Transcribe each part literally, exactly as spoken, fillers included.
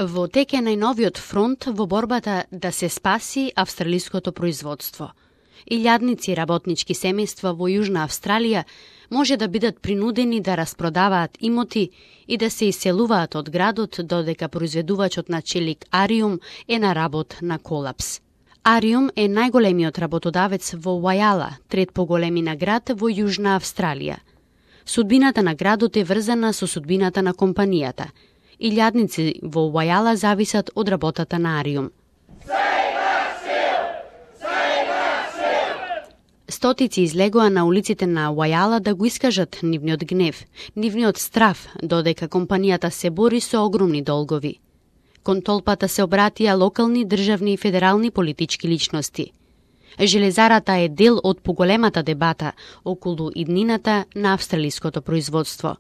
Во тек е најновиот фронт во борбата да се спаси австралиското производство. Илјадници работнички семејства во Јужна Австралија може да бидат принудени да распродаваат имоти и да се иселуваат од градот додека произведувачот на челик Ариум е на работ на колапс. Ариум е најголемиот работодавец во Вајала, трет по големина град во Јужна Австралија. Судбината на градот е врзана со судбината на компанијата. Илјадници во Вајала зависат од работата на Ариум. Стотици излегоа на улиците на Вајала да го искажат нивниот гнев, нивниот страф, додека компанијата се бори со огромни долгови. Кон толпата се обратија локални, државни и федерални политички личности. Железарата е дел од поголемата дебата околу иднината на австралиското производство.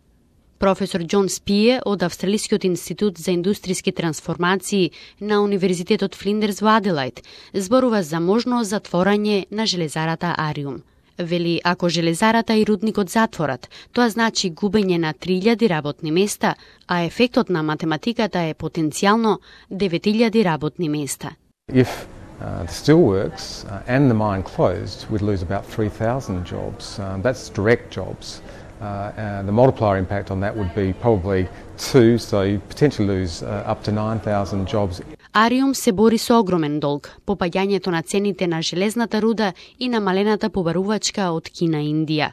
Професор Џон Спие од Австралискиот институт за индустријски трансформации на Универзитетот Флиндерс во Аделајд зборува за можно затворање на железарата Ариум. Вели, ако железарата и рудникот затворат, тоа значи губење на три илјади работни места, а ефектот на математиката е потенцијално девет илјади работни места. If uh, the steelworks uh, and the mine closed, we'd lose about three thousand jobs. Uh, that's direct jobs. Uh, uh, the multiplier impact on that would be probably two, so you potentially lose uh, up to nine thousand jobs. Ариум се бори со огромен долг, попаѓањето на цените на железната руда и намалената побарувачка од Кина и Индија.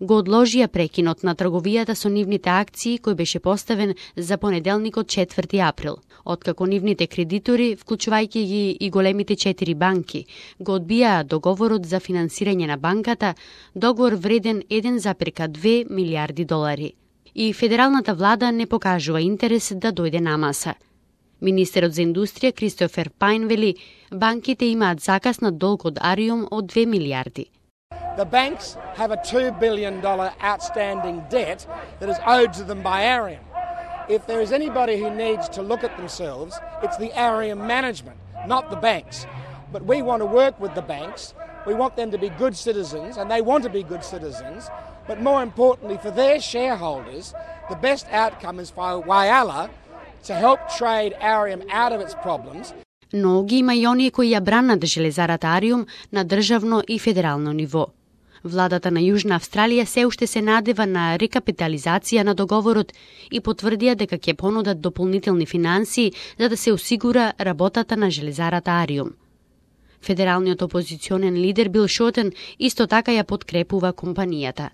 Го одложија прекинот на трговијата со нивните акции кој беше поставен за понеделникот четврти април, откако нивните кредитори, вклучувајќи ги и големите четири банки, го одбиаа договорот за финансирање на банката, договор вреден еден зарез две милијарди долари. И федералната влада не покажува интерес да дојде на маса. Министерот за индустрија Кристофер Пајн вели, банките имаат заказ на долг од Ариум од две милијарди. The banks have a two billion dollars outstanding debt that is owed to them by Aриум. If there is anybody who needs to look at themselves, it's the Aриум management, not the banks. But we want to work with the banks. We want them to be good citizens, and they want to be good citizens. But more importantly, for their shareholders, the best outcome is for Whyalla to help trade Aриум out of its problems. Но ги има и оние кои ја бранат железарата Ариум на државно и федерално ниво. Владата на Јужна Австралија се уште се надева на рекапитализација на договорот и потврдија дека ќе понудат дополнителни финансии за да се осигура работата на железарата Ариум. Федералниот опозиционен лидер Бил Шотен исто така ја подкрепува компанијата.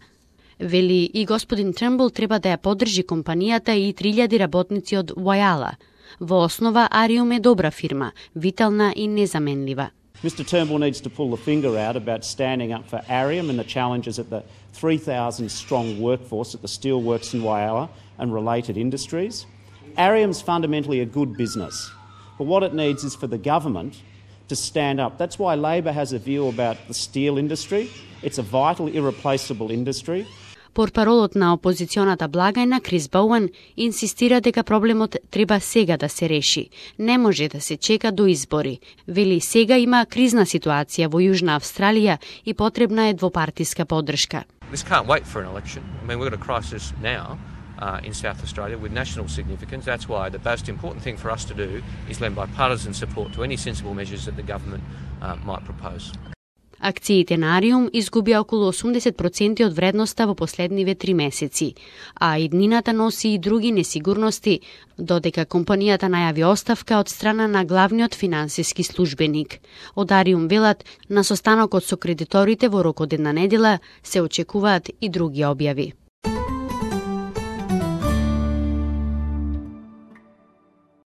Вели, и господин Трмбл треба да ја поддржи компанијата и три илјади работници од Вајала. Во основа, Ариум е добра фирма, витална и незаменлива. Mister Turnbull needs to pull the finger out about standing up for Aриум and the challenges at the three thousand strong workforce at the steelworks in Whyalla and related industries. Aриum's fundamentally a good business, but what it needs is for the government to stand up. That's why Labor has a view about the steel industry. It's a vital, irreplaceable industry. Портпаролот на опозиционата благајна Крис Боуен инсистира дека проблемот треба сега да се реши. Не може да се чека до избори. Вели, сега има кризна ситуација во Јужна Австралија и потребна е двопартиска поддршка. This can't wait for an election. I mean, we've got a crisis now uh, in South Australia with national significance. That's why the most important thing for us to do is lend bipartisan support to any sensible measures that the government uh, might propose. Акциите на Ариум изгубија околу осумдесет проценти од вредноста во последниве три месеци, а иднината носи и други несигурности, додека компанијата најави оставка од страна на главниот финансиски службеник. Од Ариум велат, на состанокот со кредиторите во рок од една недела се очекуваат и други објави.